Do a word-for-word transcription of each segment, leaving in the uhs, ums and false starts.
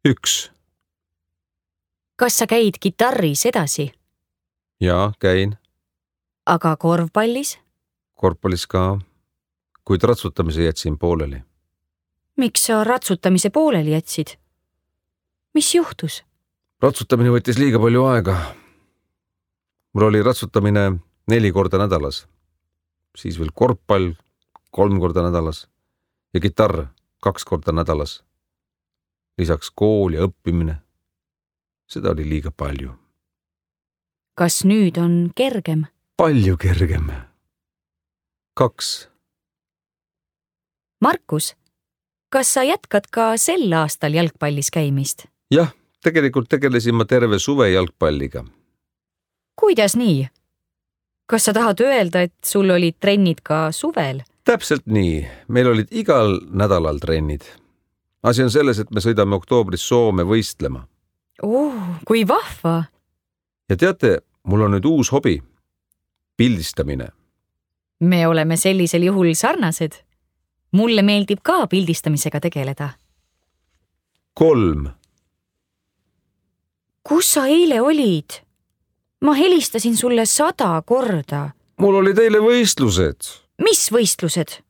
Üks. Kas sa käid kitarris edasi? Jaa, käin. Aga korvpallis? Korvpallis ka, kuid ratsutamise jätsin pooleli. Miks sa ratsutamise pooleli jätsid? Mis juhtus? Ratsutamine võttis liiga palju aega. Mul oli ratsutamine neli korda nädalas. Siis veel korvpall kolm korda nädalas ja kitarr kaks korda nädalas. Lisaks kool ja õppimine. Seda oli liiga palju. Kas nüüd on kergem? Palju kergem. Kaks. Markus, kas sa jätkad ka sel aastal jalgpallis käimist? Jah, tegelikult tegelesin ma terve suve jalgpalliga. Kuidas nii? Kas sa tahad öelda, et sul olid trennid ka suvel? Täpselt nii. Meil olid igal nädalal trennid. Asi on selles, et me sõidame oktoobris Soome võistlema. Oh, kui vahva! Ja teate, mul on nüüd uus hobi. Pildistamine. Me oleme sellisel juhul sarnased. Mulle meeldib ka pildistamisega tegeleda. Kolm. Kus sa eile olid? Ma helistasin sulle sada korda. Mul oli teile võistlused. Mis võistlused?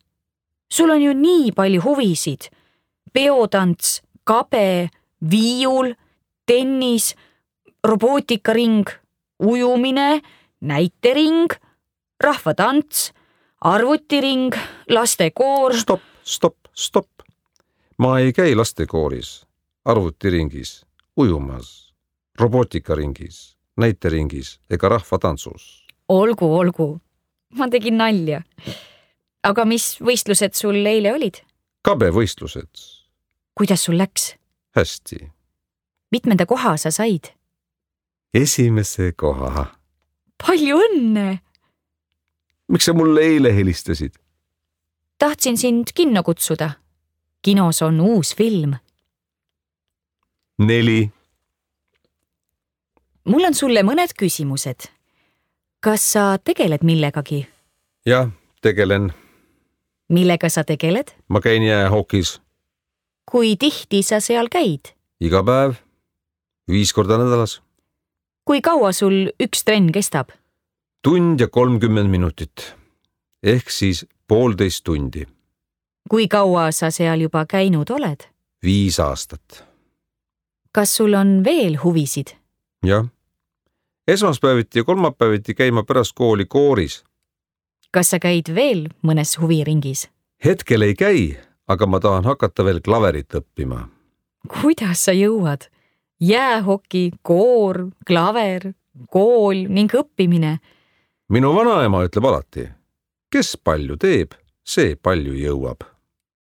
Sul on ju nii palju huvisid. Peotants, kabe, viiul, tennis, robootikaring, ujumine, näitering, rahvatants, arvutiring, lastekoor. Stop, stop, stop. Ma ei käi lastekooris, arvutiringis, ujumas, robootikaringis, näiteringis ega rahvatantsus. Olgu, olgu. Ma tegin nalja. Aga mis võistlused sul eile olid? Kabe võistlused. Kuidas sul läks? Hästi. Mitmenda koha sa said? Esimese koha. Palju õnne! Miks sa mulle eile helistasid? Tahtsin sind kinno kutsuda. Kinos on uus film. Neli. Mul on sulle mõned küsimused. Kas sa tegeled millegagi? Jah, tegelen. Millega sa tegeled? Ma käin jäähokis. Kui tihti sa seal käid? Iga päev. Viis korda nädalas. Kui kaua sul üks trenn kestab? Tund ja kolmkümmend minutit. Ehk siis poolteist tundi. Kui kaua sa seal juba käinud oled? Viis aastat. Kas sul on veel huvisid? Jah. Esmaspäeviti ja kolmapäeviti käima pärast kooli kooris. Kas sa käid veel mõnes huviringis? Hetkel ei käi, aga ma tahan hakata veel klaverit õppima. Kuidas sa jõuad? Jäähoki, koor, klaver, kool ning õppimine. Minu vanaema ütleb alati, kes palju teeb, see palju jõuab.